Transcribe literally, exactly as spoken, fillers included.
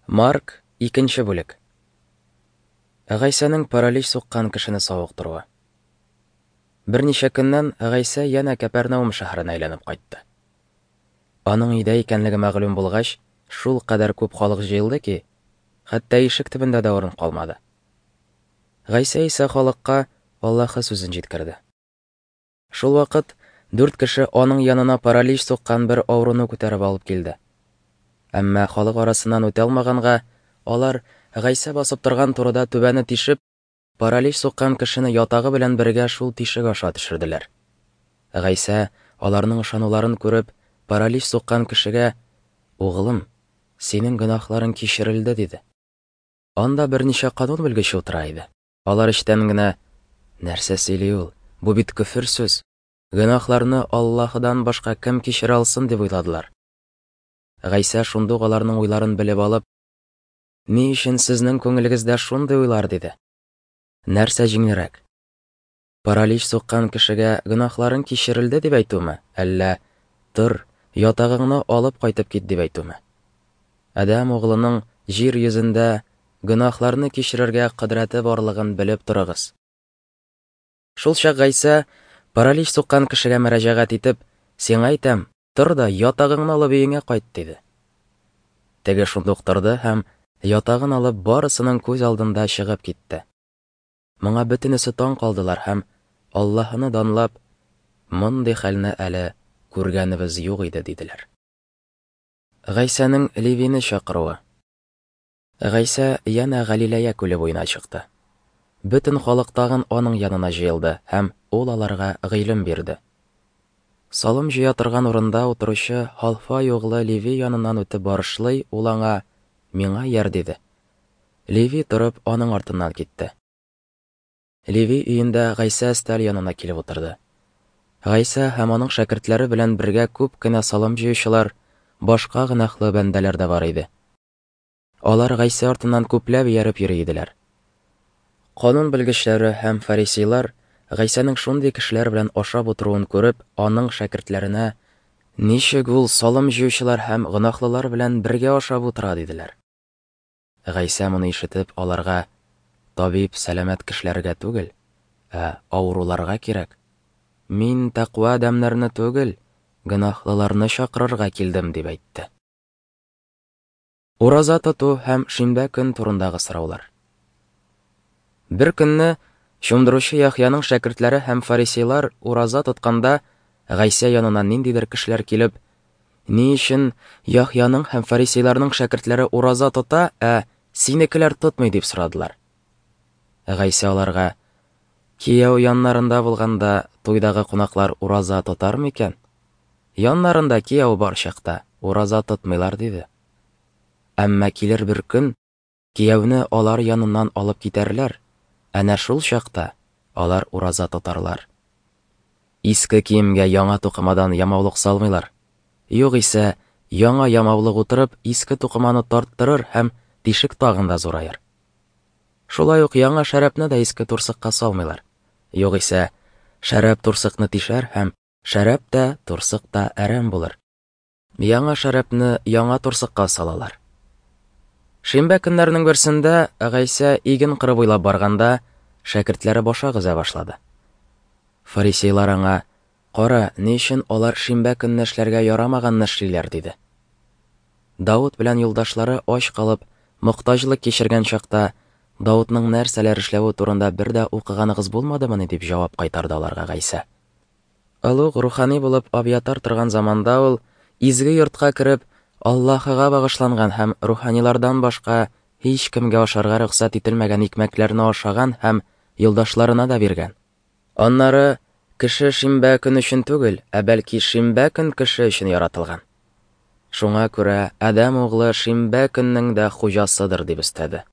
Марк, икенче бүлек. Гайсәнең паралич суккан кешене савыктыруы. Берничә көннән Гайсә янә Кәпәрнаум шәһәренә әйләнеп кайтты. Аның өйдә икәнлеге мәгълүм булгач, шул кадәр күп халык җыелды ки, хәтта ишек төбендә дә урын калмады. Гайсә исә халыкка Аллаһы сүзен җиткерде. Шул вакыт дүрт кеше аның янына паралич суккан бер авыруны күтәреп алып килде. Әмма халык арасыннан үтә алмаганга, алар Гайсә басып торган турыда түбәне тишеп, паралич суккан кешене ятагы белән бергә шул тишек аша төшерделәр. Гайсә аларның ышануларын күреп, паралич суккан кешегә: "Угылым, синең гөнаһларың кичерелде", диде. Анда берничә канун белгече утыра иде. Алар эчтән генә: "Нәрсә сөйли ул? Бу бит көфер сүз. Гөнаһларны Аллаһыдан башка кем кичерә алсын?" дип уйладылар. Гайсә шундук аларның уйларын белеп алып: "Ни өчен сезнең күңелегездә шундый уйлар?" диде. Нәрсә җиңелрәк? Паралич суккан кешегә гөнаһларың кичерелде дип әйтүме, әллә "Тор, ятагыңны алып кайтып кит" дип әйтүме? Адәм углының җир йөзендә гөнаһларны кичерергә кодрәте барлыгын белеп торыгыз. Шул чак Гайсә паралич суккан кешегә мөрәҗәгать итеп: "Сиңа әйтәм, тор да ятагыңны алып өеңә кайт", диде. Теге шундук торды һәм ятагын алып барысының күз алдында чыгып китте. Моңа бөтенесе таң калдылар һәм Аллаһыны данлап: "Мондый хәлне әле күргәнебез юк иде", диделәр. Гайсәнең Левине чакыруы. Гайсә янә Галиләя күле буена чыкты. Бөтен халык тагын аның янына җыелды һәм ул аларга гыйлем бирде. Салым җыя торган урында утыручы Халфай углы Леви яныннан үтеп барышлый, ул аңа: "Миңа ияр", диде. Леви торып аның артыннан китте. Леви өендә Гайсә өстәл янына килеп утырды. Гайсә һәм аның шәкертләре белән бергә күп кенә салым җыючылар, башка гөнаһлы бәндәләр дә бар иде. Алар Гайсә артыннан күпләп ияреп йөри иделәр. Канун белгечләре һәм фарисейлар Гайсәнең шундый кешеләр белән ашап утыруын күреп, аның шәкертләренә: "Ничек ул салым җыючылар һәм гөнаһлылар белән бергә ашап утыра?" диделәр. Гайсә моны ишетеп, аларга: "Табиб сәламәт кешеләргә түгел, ә авыруларга кирәк. Мин тәкъва адәмнәрне түгел, гөнаһлыларны чакырырга килдем", дип әйтте. Ураза тоту һәм шимбә көн турындагы сораулар. Бер көнне Чумдыручы Яхъяның шәкертләре һәм фарисейлар ураза тотканда, Гайсә янына ниндидер кешеләр килеп: "Ни өчен Яхъяның һәм фарисейларның шәкертләре ураза тота, ә синекеләр тотмый?" дип сорадылар. Гайсә аларга: "Кияү яннарында булганда туйдагы кунаклар ураза тотар микән? Яннарында кияү бар чакта ураза тотмыйлар", диде. Әмма килер бер көн, кияүне алар яныннан алып китәрләр. Әнә шул чакта алар ураза тотарлар. Иске киемгә яңа тукымадан ямаулык салмыйлар. Югыйсә, яңа ямаулык утырып, иске тукыманы тарттырыр һәм тишек тагын да зураер. Шулай ук яңа шәрабны да иске турсыкка салмыйлар. Югыйсә, шәраб турсыкны тишәр һәм шәраб та, турсык та әрәм булыр. Яңа шәрабны яңа турсыкка салалар. Шимбә көннәренең берсендә Гайсә иген кыры буйлап барганда, шәкертләре башак өзә башлады. Фарисейлар аңа: "Кара, ни өчен алар шимбә көнне эшләргә ярамаганны эшлиләр?" диде. Давыт белән юлдашлары ач калып, мохтаҗлык кичергән чакта, Давытның нәрсәләр эшләве турында бер дә укыганыгыз булмадымыни? дип җавап кайтарды аларга Гайсә. Олуг рухани булып Абиатар торган заманда ул изге йортка кереп, Аллаһыга багышланган һәм руханилардан башка һич кемгә ашарга рөхсәт ителмәгән икмәкләрне ашаган һәм юлдашларына да биргән. Аннары кеше шимбә көн өчен түгел, ә бәлки шимбә көн кеше өчен яратылган. Шуңа күрә Адәм углы шимбә көннең дә хуҗасыдыр, дип өстәде.